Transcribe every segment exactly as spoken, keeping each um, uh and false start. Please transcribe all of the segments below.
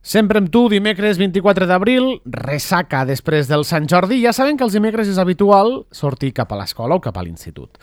Sempre amb tu, dimecres vint-i-quatre d'abril, ressaca després del Sant Jordi. Ja saben que els dimecres és habitual sortir cap a l'escola o cap a l'institut.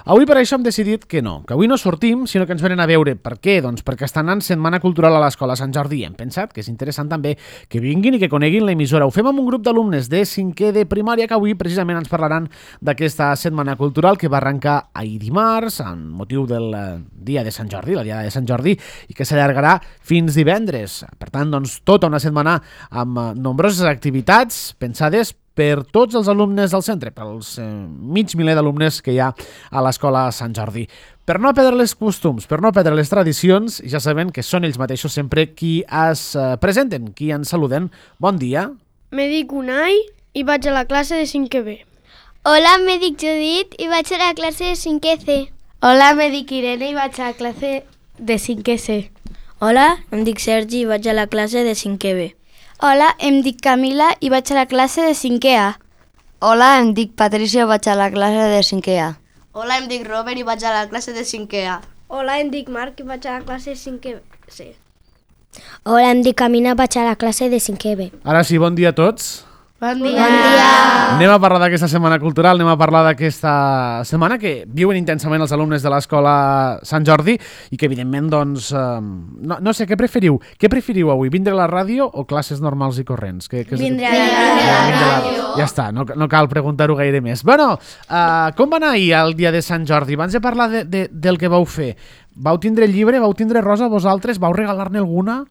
Avui per això hem decidit que no, que avui no sortim, sinó que ens venen a veure. Per què? Doncs perquè està anant Setmana Cultural a l'Escola Sant Jordi. Hem pensat que és interessant també que vinguin i que coneguin l'emissora. Ho fem amb un grup d'alumnes de cinquè de primària que avui precisament ens parlaran d'aquesta Setmana Cultural que va arrencar ahir dimarts, amb motiu del dia de Sant Jordi, la dia de Sant Jordi, i que s'allargarà fins divendres. Per tant, doncs, tota una setmana amb nombroses activitats pensades per tots els alumnes del centre, pels eh, mig miler d'alumnes que hi ha a l'Escola Sant Jordi. Per no perdre els costums, per no perdre les tradicions, ja saben que són ells mateixos sempre qui es eh, presenten, qui ens saluden. Bon dia. Me dic Unai i vaig a la classe de cinquè B. Hola, me dic Judit i vaig a la classe de cinquè C. Hola, me dic Irene i vaig a la classe de cinquè C. Hola, em dic Sergi i vaig a la classe de cinquè B. Hola, em dic Camila i vaig a la classe de cinquè A. Hola, em dic Patricia i vaig a la classe de cinquè A. Hola, em dic Robert i vaig a la classe de cinquè A. Hola, em dic Marc i vaig a la classe de cinquè C. Hola, em dic Camina i vaig a la classe de cinquè B. Ara sí, bon dia a tots. Bon dia. Bon dia. Anem a parlar d'aquesta setmana cultural, anem a parlar d'aquesta setmana que viuen intensament els alumnes de l'Escola Sant Jordi i que evidentment, doncs, eh, no, no sé, què preferiu? Què preferiu avui, vindre a la ràdio o classes normals i corrents? Que, que vindre a la ràdio. Ja està, no, no cal preguntar-ho gaire més. Bueno, eh, com va anar ahir el dia de Sant Jordi? Abans de parlar de, de, del que vau fer, vau tindre llibre, vau tindre rosa vosaltres? Vau regalar-ne alguna?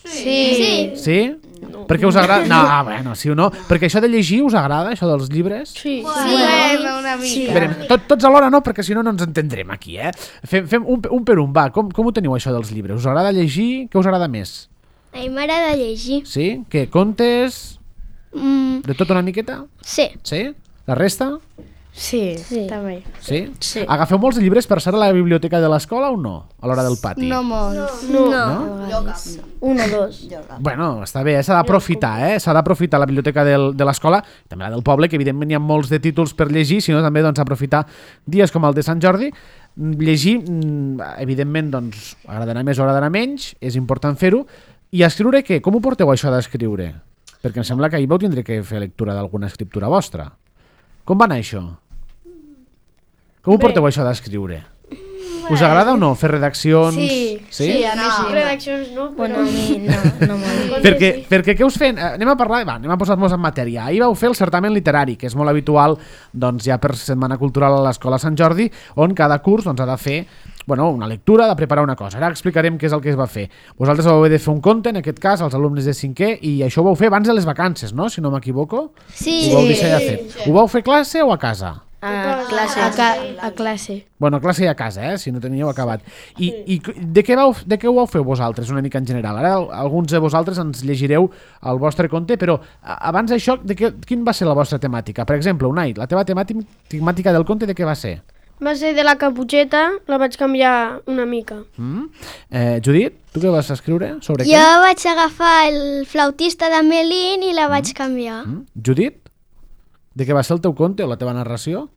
Sí. Sí? Sí? No. Perquè us agrada? No, bueno, sí o no. Perquè això de llegir us agrada, això dels llibres? Sí. Sí, bueno, una mica. Sí. Veurem, tot, tots alhora no, perquè si no no ens entendrem aquí, eh? Fem, fem un, un per un, va. Com, com ho teniu, això dels llibres? Us agrada llegir? Què us agrada més? A mi m'agrada llegir. Sí? Què? Contes? Mm. De tot una miqueta? Sí. Sí? La resta? Sí, Sí. també. Sí? Sí. Agafeu molts llibres per ser a la biblioteca de l'escola o no? A l'hora del pati? No molts. No. No? Un o dos. Bueno, està bé, eh? S'ha d'aprofitar, eh? S'ha d'aprofitar la biblioteca del, de l'escola, també la del poble, que evidentment hi ha molts de títols per llegir, sinó també doncs, aprofitar dies com el de Sant Jordi. Llegir, evidentment, doncs, agradarà més o agradarà menys, és important fer-ho. I escriure què? Com ho porteu això d'escriure? Perquè em sembla que ahir vau tindre que fer lectura d'alguna escriptura vostra. Com va anar això? Com ho porteu això d'escriure? Us agrada o no fer redaccions? Sí, sí, sí a mi No, sí. redaccions no, però... Bueno, a mi no, no m'ho Perquè, perquè què us fem? Eh, Anem a parlar, va, anem a posar-nos en matèria. Ahir vau fer el certamen literari, que és molt habitual doncs, ja per Setmana Cultural a l'Escola Sant Jordi, on cada curs doncs, ha de fer bueno, una lectura, de preparar una cosa. Ara explicarem què és el que es va fer. Vosaltres vau haver de fer un conte, en aquest cas, als alumnes de cinquè, i això ho vau fer abans de les vacances, no? Si no m'equivoco. Sí. Ho vau deixar ja fet. Ho vau fer a classe o a casa? A classe. A, ca a classe. Bueno, a classe i a casa, eh? Si no teníeu acabat. I, i de, què vau, de què ho vau fer vosaltres, una mica en general? Ara alguns de vosaltres ens llegireu el vostre conte, però abans d'això, de què, quin va ser la vostra temàtica? Per exemple, Unai, la teva temàtica del conte de què va ser? Va ser de la Caputxeta, la vaig canviar una mica. Mm? Eh, Judit, tu què vas escriure? Sobre Jo què? vaig agafar el flautista de Melín i la vaig canviar. Mm? Judit, de què va ser el teu conte o la teva narració?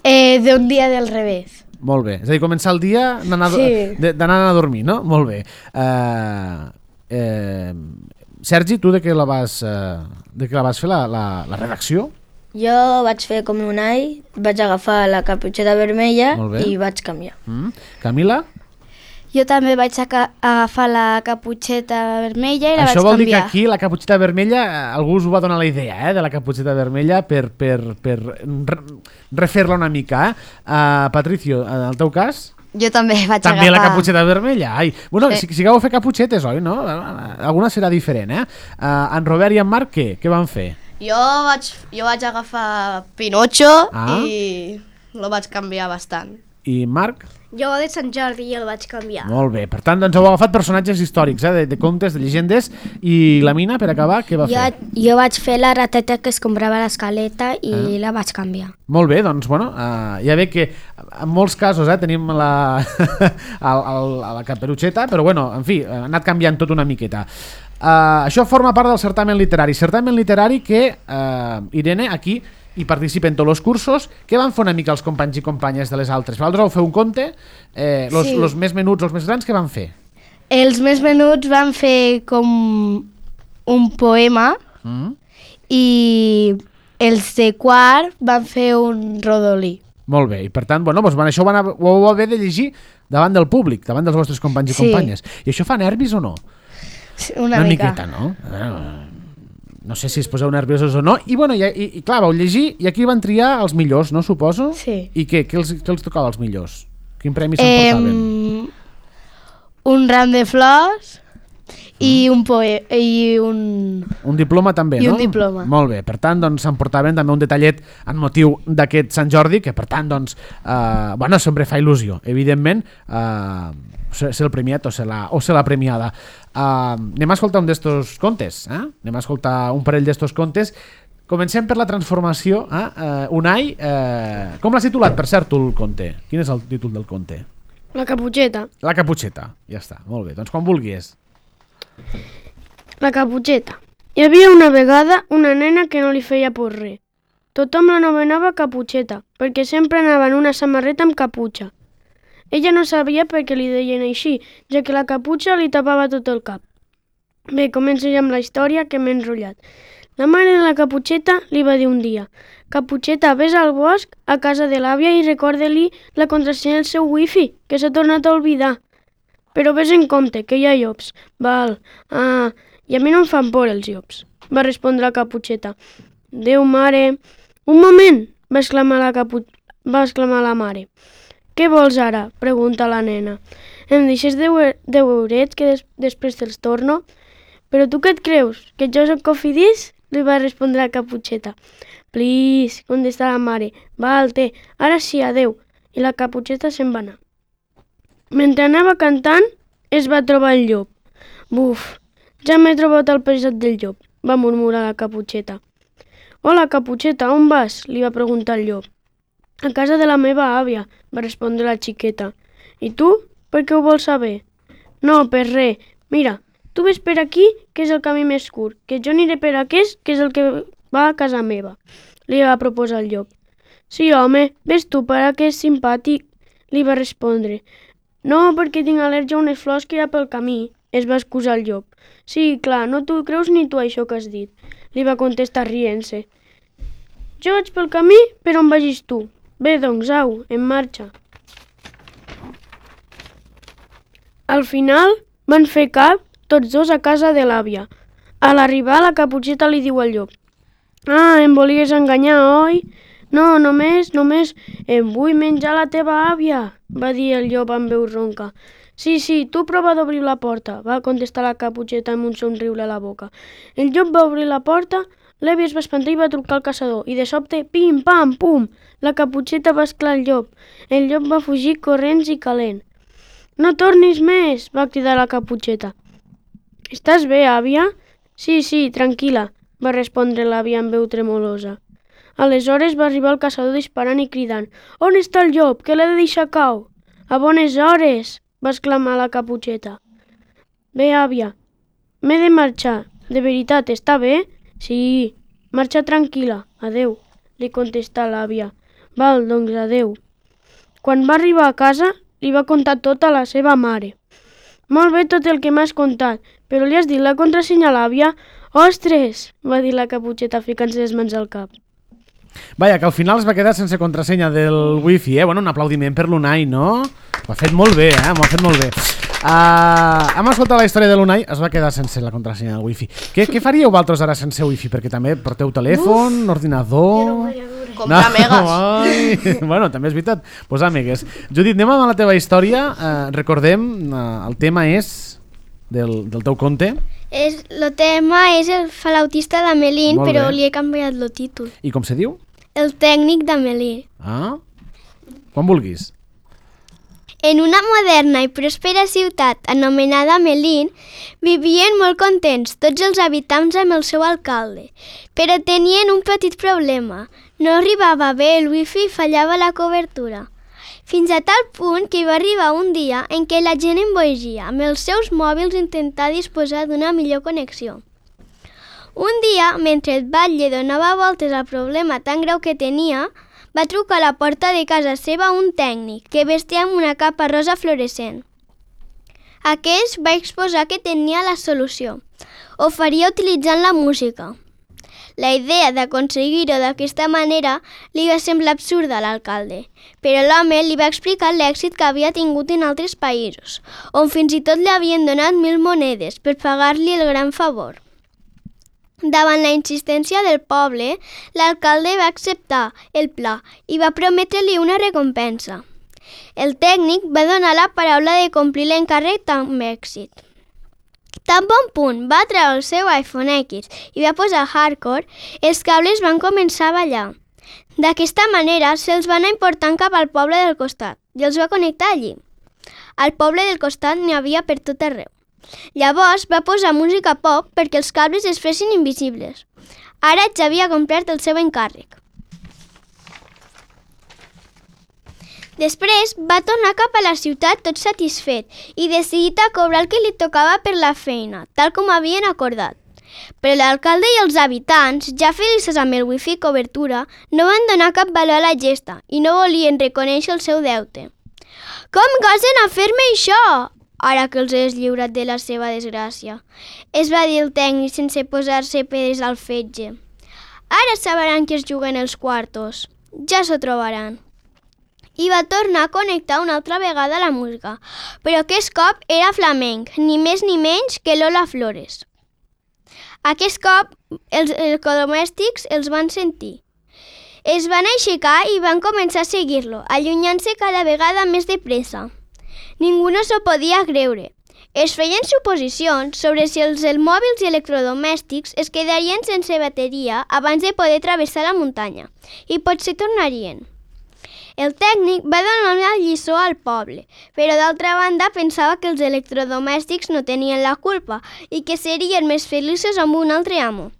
Eh, de un dia del revés. Molt bé. És a dir, començar el dia d'anar Sí. d'anar a dormir, no? Molt bé. Uh, eh, Sergi, tu de què la vas, uh, de què la vas fer, la, la, la redacció? Jo vaig fer com un ai, vaig agafar la caputxeta vermella Molt bé. i vaig canviar. Mm? Camila? Jo també vaig agafar la caputxeta vermella i la Això vaig vol dir que canviar. aquí la caputxeta vermella, eh, algú us ho va donar la idea, eh, de la caputxeta vermella per, per, per re, refer-la una mica. Eh? Uh, Patricio, en el teu cas? Jo també vaig També agafar... la caputxeta vermella. Ai. Bueno, Eh. sí, sí que vau fer caputxetes, oi? No? Alguna serà diferent, eh? Uh, en Robert i en Marc, què? Què van fer? Jo vaig, jo vaig agafar Pinocho Ah. i lo vaig canviar bastant. I Marc? Jo de Sant Jordi i el vaig canviar. Molt bé. Per tant, doncs heu agafat personatges històrics, eh? de, de contes, de llegendes. I la Mina, per acabar, què va Jo, fer? jo vaig fer la rateta que es comprava a l'escaleta i Ah. la vaig canviar. Molt bé, doncs, bueno, uh, ja ve que en molts casos eh, tenim la, el, el, la caperutxeta, però bueno, en fi, ha anat canviant tot una miqueta. Uh, això forma part del certamen literari. Certamen literari que, uh, Irene, aquí hi participen tots els cursos. Què van fer una mica els companys i companyes de les altres? Vosaltres vau fer un conte, eh, los, Sí. los més menuts, els més grans, què van fer? Els més menuts van fer com un poema Mm? i els de quart van fer un rodolí. Molt bé, i per tant, bueno, doncs, això ho, van, ho vau haver de llegir davant del públic, davant dels vostres companys i Sí. companyes. I això fa nervis o no? Una, Una mica. miqueta, no? Eh, No sé si es poseu nerviosos o no. I, bueno, i, i, i clar, vau llegir i aquí van triar els millors, no, suposo? Sí. I què? Què els, què els tocava als millors? Quin premi s'emportaven? Em, un ram de flors i un poe i un... Un diploma també, I no? un diploma. Molt bé, per tant, doncs, s'emportaven també un detallet en motiu d'aquest Sant Jordi, que per tant, doncs, eh, bueno, sempre fa il·lusió, evidentment, eh, ser ser el premiat o ser la, o ser la premiada. Eh, anem a escoltar un d'estos contes, eh? Anem a escoltar un parell d'estos contes. Comencem per la transformació. Eh? Eh, Unai, eh, com l'has titulat, per cert, tu, el conte? Quin és el títol del conte? La caputxeta. La caputxeta, ja està, molt bé. Doncs quan vulguis. La caputxeta. Hi havia una vegada una nena que no li feia por res. Tothom l'anomenava caputxeta, perquè sempre anava en una samarreta amb caputxa. Ella no sabia per què li deien així, ja que la caputxa li tapava tot el cap. Bé, començo ja amb la història, que m'he enrotllat. La mare de la caputxeta li va dir un dia: «Caputxeta, vés al bosc, a casa de l'àvia i recorda-li la contrasenya del seu wifi, que s'ha tornat a oblidar. Però vés en compte, que hi ha llops». «Val, ah, i a mi no em fan por els llops», va respondre la caputxeta. «Déu, mare...» «Un moment!», va exclamar la, capu... va exclamar la mare. «Què vols ara?», pregunta la nena. «Em deixes deu, deu eurets que des... després te'ls torno?» «Però tu què et creus? Que jo soc cofidís?», li va respondre la caputxeta. «Please», contesta la mare. «Val, té, ara sí, adeu». I la caputxeta se'n va anar. Mentre anava cantant, es va trobar el llop. «Buf, ja m'he trobat el pesat del llop», va murmurar la caputxeta. «Hola, caputxeta, on vas?», li va preguntar el llop. «A casa de la meva àvia», va respondre la xiqueta. «I tu? Per què ho vols saber?» «No, per res. Mira, tu ves per aquí, que és el camí més curt, que jo aniré per aquest, que és el que va a casa meva», li va proposar el llop. «Sí, home, ves tu per aquest simpàtic», li va respondre. «No, perquè tinc al·lèrgia a unes flors que hi ha pel camí», es va excusar el llop. «Sí, clar, no t'ho creus ni tu això que has dit», li va contestar rient-se. «Jo vaig pel camí, per on vagis tu. Bé, doncs, au, en marxa». Al final van fer cap tots dos a casa de l'àvia. A l'arribar, la caputxeta li diu al llop: «Ah, em volies enganyar, oi?» «No, només, només, em vull menjar la teva àvia», va dir el llop amb veu ronca. «Sí, sí, tu prova d'obrir la porta», va contestar la caputxeta amb un somriure a la boca. El llop va obrir la porta, l'àvia es va espantar i va trucar al caçador, i de sobte, pim, pam, pum, la caputxeta va esclar el llop. El llop va fugir corrents i calent. «No tornis més», va cridar la caputxeta. «Estàs bé, àvia?» «Sí, sí, tranquil·la», va respondre l'àvia amb veu tremolosa. Aleshores va arribar el caçador disparant i cridant: «On està el llop, que l'he de deixar cau?» «A bones hores», va exclamar la caputxeta. «Bé, àvia, m'he de marxar. De veritat, està bé?» «Sí, marxa tranquil·la. Adeu», li contestà l'àvia. «Val, doncs adeu». Quan va arribar a casa, li va contar tot a la seva mare. «Molt bé tot el que m'has contat, però li has dit la contrasenya a l'àvia?» «Ostres!», va dir la caputxeta ficant-se les mans al cap. Vaja, que al final es va quedar sense contrasenya del wifi, eh? Bueno, un aplaudiment per l'Unai, no? Ho ha fet molt bé, eh? M'ho ha fet molt bé. Uh, hem escoltat la història de l'Unai, es va quedar sense la contrasenya del wifi. Què, què faríeu vosaltres ara sense wifi? Perquè també porteu telèfon, Uf, ordinador... Comprar no, megas. Ai, bueno, també és veritat, posar megues. Judit, anem amb la teva història. Uh, recordem, uh, el tema és del, del teu conte. És, el tema és el flautista d'Amelín, Molt però bé. li he canviat el títol. I com se diu? El tècnic d'Amelín. Ah, quan vulguis. En una moderna i pròspera ciutat anomenada Amelín, vivien molt contents tots els habitants amb el seu alcalde, però tenien un petit problema. No arribava bé el wifi i fallava la cobertura. Fins a tal punt que hi va arribar un dia en què la gent emboigia amb els seus mòbils intentar disposar d'una millor connexió. Un dia, mentre el batlle donava voltes al problema tan greu que tenia, va trucar a la porta de casa seva un tècnic que vestia amb una capa rosa fluorescent. Aquest va exposar que tenia la solució. Ho faria utilitzant la música. La idea d'aconseguir-ho d'aquesta manera li va semblar absurda a l'alcalde, però l'home li va explicar l'èxit que havia tingut en altres països, on fins i tot li havien donat mil monedes per pagar-li el gran favor. Davant la insistència del poble, l'alcalde va acceptar el pla i va prometre-li una recompensa. El tècnic va donar la paraula de complir l'encàrrec amb èxit. Tan bon punt va treure el seu iPhone X i va posar hardcore, els cables van començar a ballar. D'aquesta manera se'ls va anar important cap al poble del costat i els va connectar allí. Al poble del costat n'hi havia per tot arreu. Llavors va posar música pop perquè els cables es fessin invisibles. Ara ja havia complert el seu encàrrec. Després va tornar cap a la ciutat tot satisfet i decidit a cobrar el que li tocava per la feina, tal com havien acordat. Però l'alcalde i els habitants, ja feliços amb el wifi i cobertura, no van donar cap valor a la gesta i no volien reconèixer el seu deute. «Com gosen a fer-me això?» ara que els has lliurat de la seva desgràcia, es va dir el tècnic sense posar-se pedres al fetge. Ara sabran que es juguen els quartos. Ja s'ho trobaran. I va tornar a connectar una altra vegada la música, però aquest cop era flamenc, ni més ni menys que Lola Flores. Aquest cop els electrodomèstics els van sentir. Es van aixecar i van començar a seguir-lo, allunyant-se cada vegada més de pressa. Ningú no s'ho podia creure. Es feien suposicions sobre si els mòbils i electrodomèstics es quedarien sense bateria abans de poder travessar la muntanya, i potser tornarien. El tècnic va donar una lliçó al poble, però d'altra banda pensava que els electrodomèstics no tenien la culpa i que serien més feliços amb un altre amo.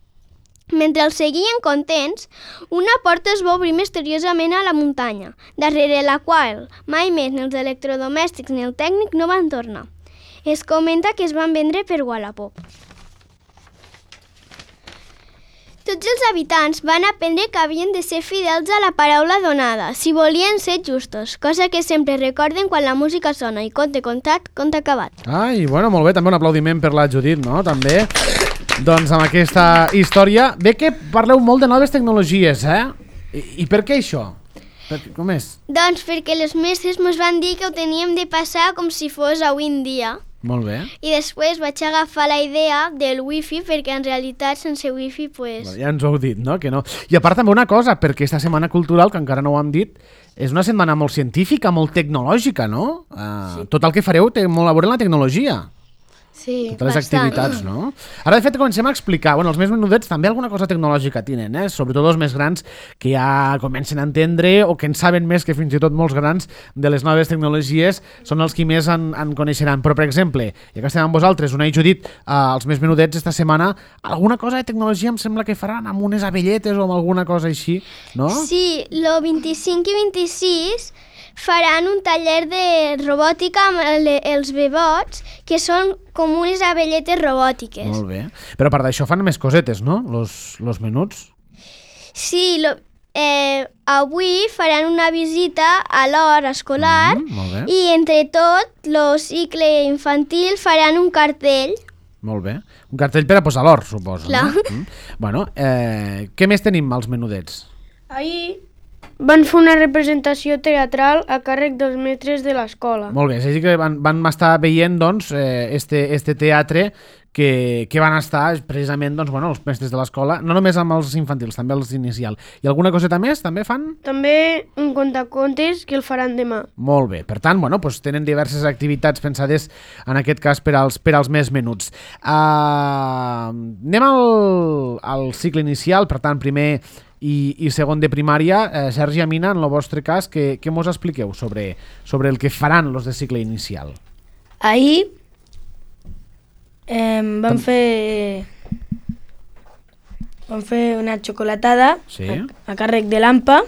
Mentre els seguien contents, una porta es va obrir misteriosament a la muntanya, darrere la qual mai més ni els electrodomèstics ni el tècnic no van tornar. Es comenta que es van vendre per Wallapop. Tots els habitants van aprendre que havien de ser fidels a la paraula donada, si volien ser justos, cosa que sempre recorden quan la música sona i conte contat, conte acabat. Ai, bueno, molt bé, també un aplaudiment per la Judit, no? També, doncs amb aquesta història. Bé que parleu molt de noves tecnologies, eh? I, i per què això? Per, com és? Doncs perquè les mestres ens van dir que ho teníem de passar com si fos avui en dia. Molt bé. I després vaig agafar la idea del wifi, perquè en realitat sense wifi, pues... Ja ens ho heu dit, no? Que no. I a part també una cosa, perquè aquesta setmana cultural, que encara no ho hem dit, és una setmana molt científica, molt tecnològica, no? Uh, sí. Tot el que fareu té molt a veure amb la tecnologia. Sí, totes les bastant. activitats, no? Ara, de fet, comencem a explicar, bueno, els més menudets també alguna cosa tecnològica tenen, eh? Sobretot els més grans que ja comencen a entendre o que en saben més que fins i tot molts grans de les noves tecnologies són els que més en, en coneixeran. Però, per exemple, ja que estem amb vosaltres, Una i Judit, eh, els més menudets esta setmana, alguna cosa de tecnologia em sembla que faran amb unes abelletes o amb alguna cosa així, no? Sí, el vint-i-cinc i vint-i-sis faran un taller de robòtica amb el, els bebots, que són com unes abelletes robòtiques. Molt bé. Però a part d'això fan més cosetes, no? Los, los menuts. Sí, lo, eh, avui faran una visita a l'hort escolar mm, i entre tot el cicle infantil faran un cartell. Molt bé. Un cartell per a posar l'hort, suposo. Clar. No? Mm. Bueno, eh, què més tenim als menudets? Ahir van fer una representació teatral a càrrec dels mestres de l'escola. Molt bé, és a dir que van, van estar veient doncs, eh, este, este teatre que, que van estar precisament doncs, bueno, els mestres de l'escola, no només amb els infantils, també els inicial. I alguna coseta més també fan? També un contacontes que el faran demà. Molt bé, per tant, bueno, doncs tenen diverses activitats pensades en aquest cas per als, per als més menuts. Uh, anem al, al cicle inicial, per tant, primer i, i segon de primària. eh, Sergi, Amina, en el vostre cas, què, què mos expliqueu sobre, sobre el que faran los de cicle inicial? Ahir eh, vam fer vam fer una xocolatada sí. a, a càrrec de l'Ampa.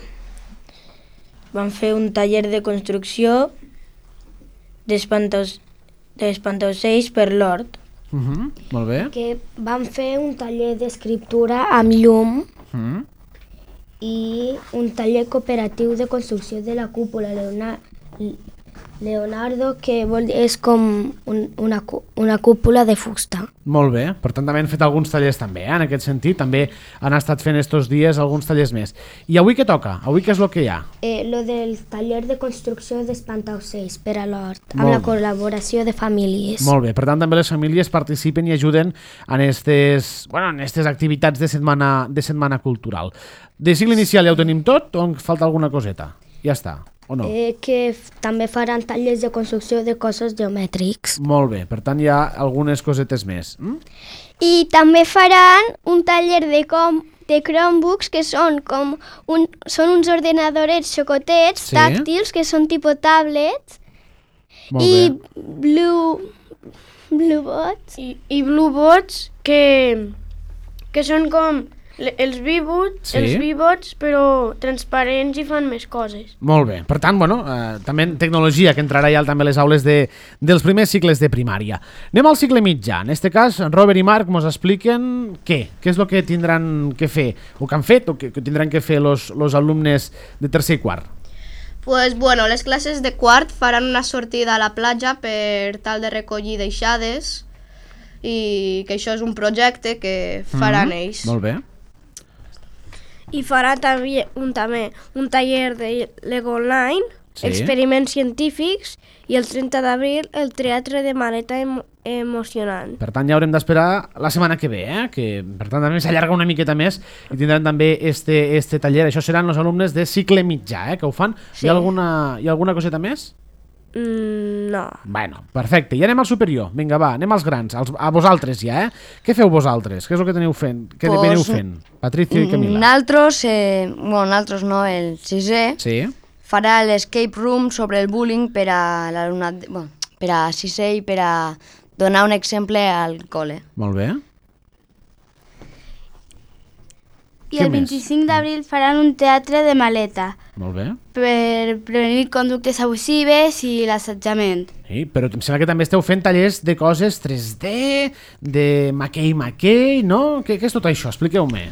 Vam fer un taller de construcció d'espantaocells per l'hort. Uh -huh. Molt bé. Que vam fer un taller d'escriptura amb llum Uh -huh. i un taller cooperatiu de construcció de la cúpula d'una Leonardo, que vol dir, és com un, una, una cúpula de fusta. Molt bé, per tant també han fet alguns tallers també, eh? En aquest sentit, també han estat fent estos dies alguns tallers més. I avui què toca? Avui què és el que hi ha? Eh, lo del taller de construcció d'espantaocells per a l'hort, amb Molt la col·laboració de famílies. Molt bé, per tant també les famílies participen i ajuden en estes, bueno, en estes activitats de setmana, de setmana cultural. De cicle inicial ja ho tenim tot o en falta alguna coseta? Ja està. O no? Eh, que f- també faran tallers de construcció de cossos geomètrics. Molt bé, per tant hi ha algunes cosetes més. Mm? I també faran un taller de, com, de Chromebooks, que són com un, són uns ordenadorets xocotets, Sí. tàctils, que són tipus tablets, Molt i bé. Blue, Bluebots. I, i Bluebots, que, que són com le- els Vibots, Sí. els Vibots, però transparents i fan més coses. Molt bé, per tant, bueno, eh, també tecnologia que entrarà ja també a les aules de, dels primers cicles de primària. Anem al cicle mitjà. En este cas, Robert i Marc ens expliquen què, què és el que tindran que fer, o que han fet, o que, que tindran que fer los, los alumnes de tercer i quart. Pues bueno, les classes de quart faran una sortida a la platja per tal de recollir deixades i que això és un projecte que faran Mhm, ells. Molt bé. I farà també un, també un taller de Lego Online, Sí. experiments científics, i el trenta d'abril el teatre de maleta emo emocionant. Per tant, ja haurem d'esperar la setmana que ve, eh? Que per tant també s'allarga una miqueta més i tindran també este, este taller. Això seran els alumnes de cicle mitjà, eh? Que ho fan. Sí. Hi ha alguna, hi ha alguna coseta més? Mm, no. Bueno, perfecte. I anem al superior. Vinga, va, anem als grans. Als, a vosaltres ja, eh? Què feu vosaltres? Què és el que teniu fent? Què Pues, veniu fent? Patricio i Camila. Naltros, eh, bueno, naltros no, el sisè, Sí. farà l'escape room sobre el bullying per a l'alumnat, de- bueno, per a sisè i per a donar un exemple al col·le. Molt bé. I Què el més? vint-i-cinc d'abril faran un teatre de maleta Molt bé. per prevenir conductes abusives i l'assetjament. Sí, però em sembla que també esteu fent tallers de coses tres D, de maquei-maquei, no? Què, què és tot això? Expliqueu-me.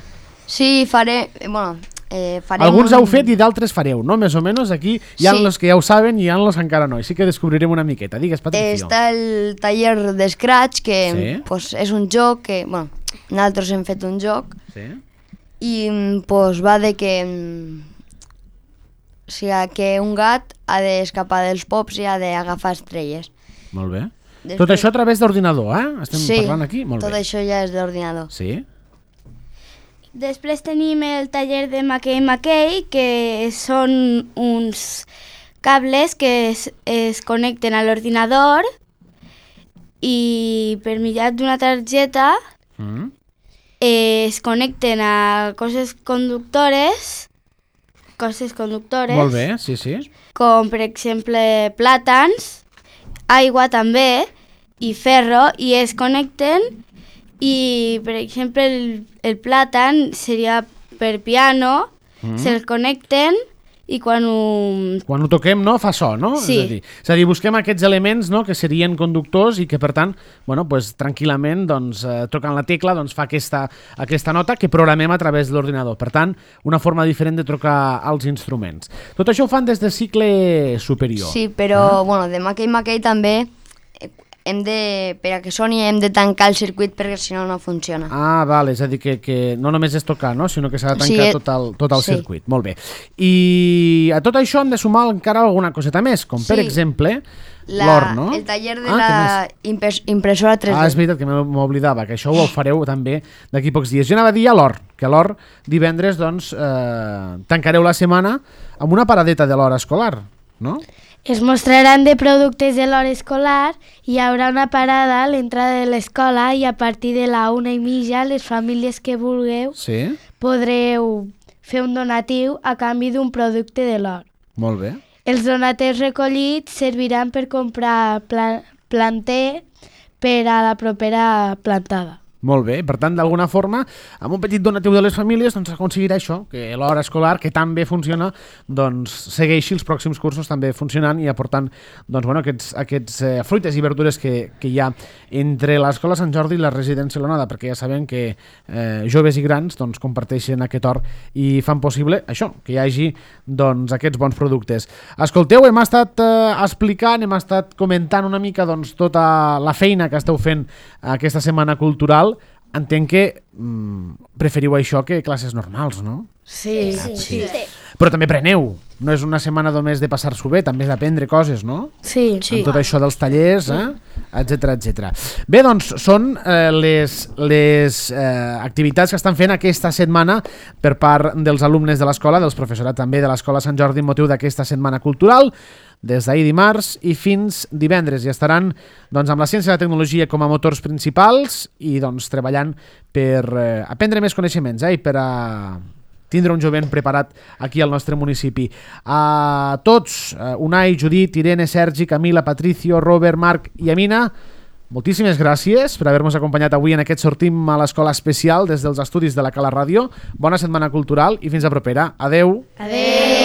Sí, faré, eh, bueno, eh, farem... Alguns un- heu fet i d'altres fareu, no? Més o menys aquí hi ha Sí. els que ja ho saben i hi ha els que encara no. Així que descobrirem una miqueta. Digues, Patricio. Està el taller de Scratch, que Sí. pues, és un joc que, bueno, nosaltres hem fet un joc Sí. i pues, va de que, mm, o sigui, que un gat ha d'escapar dels pops i ha d'agafar estrelles. Molt bé. Després- Tot això a través d'ordinador, eh? Estem sí, parlant aquí? Molt tot bé. això ja és d'ordinador. Sí? Després tenim el taller de Maquei Maquei, que són uns cables que es, es connecten a l'ordinador i per mitjà d'una targeta Mm. eh, es connecten a coses conductores, coses conductores, Molt bé, sí, sí. com per exemple plàtans, aigua també i ferro, i es connecten i per exemple el, el plàtan seria per piano, Mm. se'ls connecten i quan ho... Quan ho toquem, no? Fa so, no? Sí. És a dir, és a dir, busquem aquests elements, no?, que serien conductors i que, per tant, bueno, pues, tranquil·lament, doncs, eh, tocant la tecla, doncs, fa aquesta, aquesta nota que programem a través de l'ordinador. Per tant, una forma diferent de trucar als instruments. Tot això ho fan des de cicle superior. Sí, però, bueno, de Maquei Maquei també eh, hem de, per a que soni hem de tancar el circuit perquè si no no funciona. Ah, val, és a dir, que, que no només és tocar, no?, sinó que s'ha de tancar Sí, eh, tot el, tot el sí. circuit. Molt bé. I a tot això hem de sumar encara alguna coseta més, com per Sí. exemple La- l'or, no? El taller de Ah, què la impres, impressora tres D. Ah, és veritat que m'oblidava, que això ho fareu també d'aquí pocs dies. Jo anava a dir a l'Or, que a l'Or divendres doncs, eh, tancareu la setmana amb una paradeta de l'hora escolar, no? Es mostraran de productes de l'hora escolar, hi haurà una parada a l'entrada de l'escola i a partir de la una i mitja les famílies que vulgueu Sí, podreu fer un donatiu a canvi d'un producte de l'hora. molt bé. Els donatius recollits serviran per comprar pla planter per a la propera plantada. Molt bé, per tant, d'alguna forma, amb un petit donatiu de les famílies, doncs aconseguirà això, que l'hora escolar, que tan bé funciona, doncs segueixi els pròxims cursos també funcionant i aportant doncs, bueno, aquests, aquests eh, fruites i verdures que, que hi ha entre l'Escola Sant Jordi i la residència L'Onada, perquè ja sabem que eh, joves i grans doncs, comparteixen aquest hort i fan possible això, que hi hagi doncs, aquests bons productes. Escolteu, hem estat eh, explicant, hem estat comentant una mica doncs, tota la feina que esteu fent aquesta setmana cultural. Entenc que mm, preferiu això que classes normals, no? Sí. Sí, sí. sí. Però també preneu. No és una setmana només de passar-s'ho bé, també és d'aprendre coses, no? Sí. sí. Amb tot això dels tallers, eh? etcètera, etcètera. Bé, doncs, són eh, les, les eh, activitats que estan fent aquesta setmana per part dels alumnes de l'escola, dels professorat també de l'Escola Sant Jordi, en motiu d'aquesta setmana cultural, des d'ahir dimarts i fins divendres. I estaran doncs, amb la ciència i la tecnologia com a motors principals i doncs, treballant per eh, aprendre més coneixements eh, i per a tindre un jovent preparat aquí al nostre municipi. A tots, Unai, Judit, Irene, Sergi, Camila, Patricio, Robert, Marc i Amina, moltíssimes gràcies per haver-nos acompanyat avui en aquest Sortim a l'Escola Especial des dels estudis de la Cala Ràdio. Bona setmana cultural i fins a propera. Adeu. Adeu.